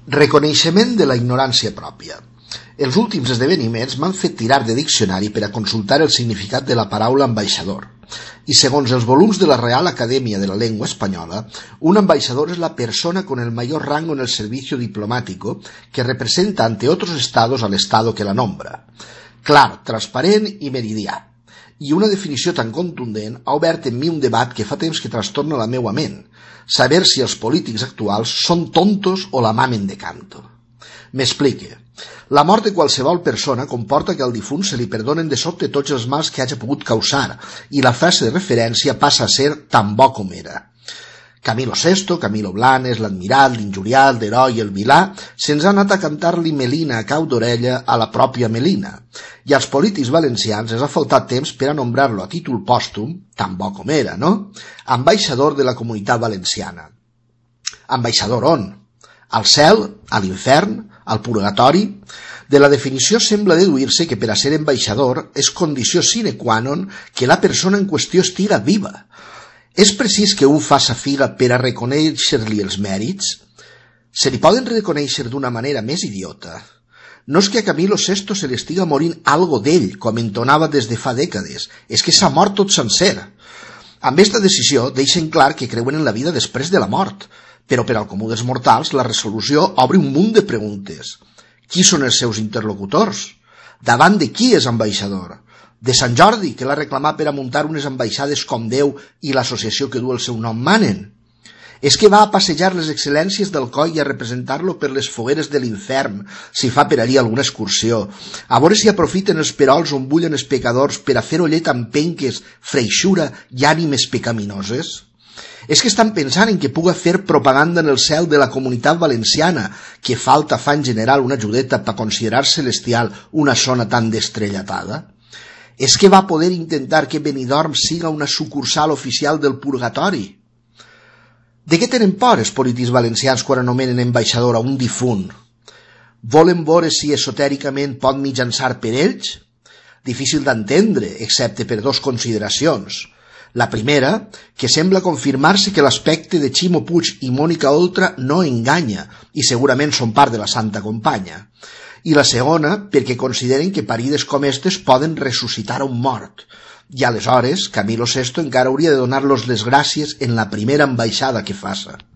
Reconeixement de la ignorància pròpia. Els últims esdeveniments m'han fet tirar de diccionari per a consultar el significat de la paraula ambaixador. I segons els volums de la Real Academia de la Lengua Española, un ambaixador es la persona con el mayor rango en el servicio diplomático que representa ante otros estados al estado que la nombra. Clar, transparent i meridià. I una definició tan contundent ha obert en mi un debat que fa temps que trastorna la meua ment, saber si els polítics actuals són tontos o la mamen de canto. M'explique. La mort de qualsevol persona comporta que al difunt se li perdonen de sobte tots els mals que hagi pogut causar i la frase de referència passa a ser tan bo com era. Camilo VI, Camilo Blanes, l'admirat, l'injuriat, l'heroi i el vilà se'ns ha anat a cantar-li Melina a cau d'orella a la pròpia Melina. I als polítics valencians els ha faltat temps per a nombrar-lo a títol pòstum, tan bo com era, no? Ambaixador de la Comunitat Valenciana. Ambaixador on? Al cel? A l'infern? Al purgatori? De la definició sembla deduir-se que per a ser ambaixador és condició sine qua non que la persona en qüestió estiga viva. És precís que un faça fila per a reconèixer-li els mèrits? Se li poden reconèixer d'una manera més idiota. No és que a Camilo VI se li estiga morint algo d'ell, com entonava des de fa dècades, és que s'ha mort tot sencer. Amb esta decisió deixen clar que creuen en la vida després de la mort, però per al comú dels mortals la resolució obre un munt de preguntes. Qui són els seus interlocutors? Davant de qui és ambaixador? De Sant Jordi, que l'ha reclamat per a muntar unes ambaixades com Déu i l'associació que du el seu nom manen? És que va a passejar les excel·lències del coll i a representar-lo per les fogueres de l'infern, si fa per allí alguna excursió, a veure si aprofiten els perols on bullen els pecadors per a fer ollet amb penques, freixura i ànimes pecaminoses? És que estan pensant en que puga fer propaganda en el cel de la Comunitat Valenciana, que falta fa en general una ajudeta per considerar celestial una zona tan destrellatada? És que va poder intentar que Benidorm siga una sucursal oficial del purgatori? De què tenen por els polítics valencians quan anomenen ambaixador a un difunt? Volen veure si esotèricament pot mitjançar per ells? Difícil d'entendre, excepte per dos consideracions. La primera, que sembla confirmar-se que l'aspecte de Ximo Puig i Mònica Oltra no enganya i segurament són part de la Santa Companya. I la segona, perquè consideren que parides com estes poden ressuscitar un mort. I aleshores, Camilo VI encara hauria de donar-los les gràcies en la primera ambaixada que faça.